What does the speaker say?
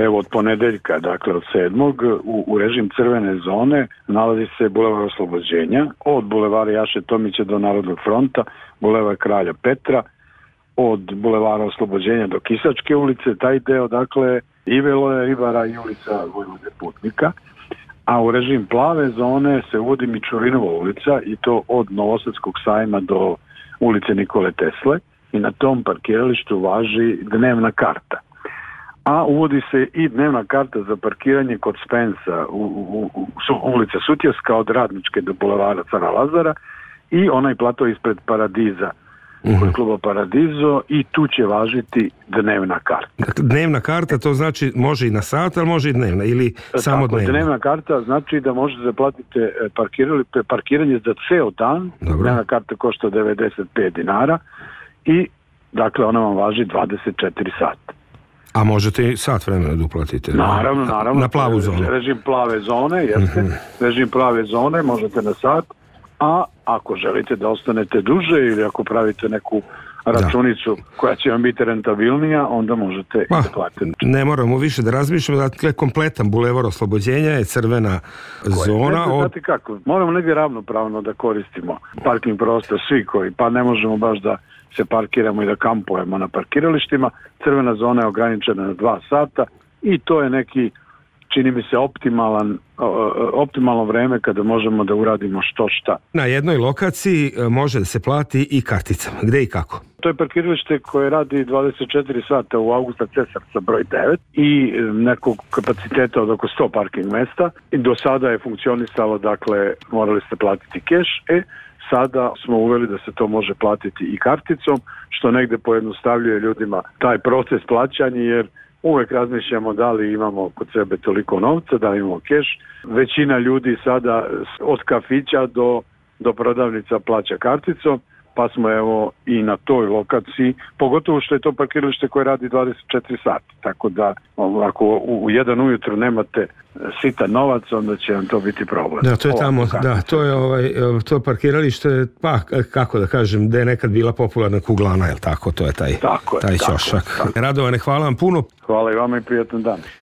Evo, od ponedeljka, dakle od 7. u režim crvene zone nalazi se bulevar Oslobođenja, od bulevara Jaše Tomića do Narodnog fronta, bulevar Kralja Petra, od bulevara Oslobođenja do Kisačke ulice, taj deo, dakle, i Veloja Ribara i ulica Vojvode Putnika, a u režim plave zone se uvodi Mičurinova ulica i to od Novosadskog sajma do ulice Nikole Tesle i na tom parkiralištu važi dnevna karta. A uvodi se i dnevna karta za parkiranje kod Spensa u ulica Sutjeska od Radničke do bulevara Cara Lazara i onaj plato ispred Paradiza kod kluba Paradizo i tu će važiti dnevna karta. Dnevna karta to znači može i na sat, ali može i dnevna ili samo dnevna? Dnevna karta znači da možete zaplatiti parkiranje za ceo dan. Dobro. Dnevna karta košta 95 dinara i dakle ona vam važi 24 sata. A možete i sat vremena da uplatite? Naravno. Na plavu zonu? Režim plave zone, jeste. Režim plave zone možete na sat, a ako želite da ostanete duže ili ako pravite neku računicu koja će vam biti rentabilnija, onda možete da platite. Ne moramo više da razmišljamo, dakle kompletan bulevar Oslobođenja je crvena zona. Znate kako, moramo negdje ravnopravno da koristimo parking prostor svi koji, pa ne možemo baš da se parkiramo i da kampujemo na parkiralištima. Crvena zona je ograničena na 2 sata i to je neki, čini mi se, optimalno vreme kada možemo da uradimo što šta. Na jednoj lokaciji može da se plati i karticama. Gde i kako? To je parkiralište koje radi 24 sata u Augusta Cesarca broj 9 i nekog kapaciteta od oko 100 parking mesta. I do sada je funkcionisalo, dakle, morali ste platiti keš, sada smo uveli da se to može platiti i karticom, što negde pojednostavljuje ljudima taj proces plaćanja, jer uvek razmišljamo da li imamo kod sebe toliko novca, da li imamo keš. Većina ljudi sada od kafića do prodavnica plaća karticom, pa smo evo i na toj lokaciji, pogotovo što je to parkiralište koje radi 24 sata, tako da ako u 1 ujutru nemate sitan novac, onda će vam to biti problem. Da, to je tamo, to parkiralište, pa kako da kažem, da je nekad bila popularna kuglana, je li tako? To je taj ćošak. Radovane, hvala vam puno. Hvala i vama i prijatan dan.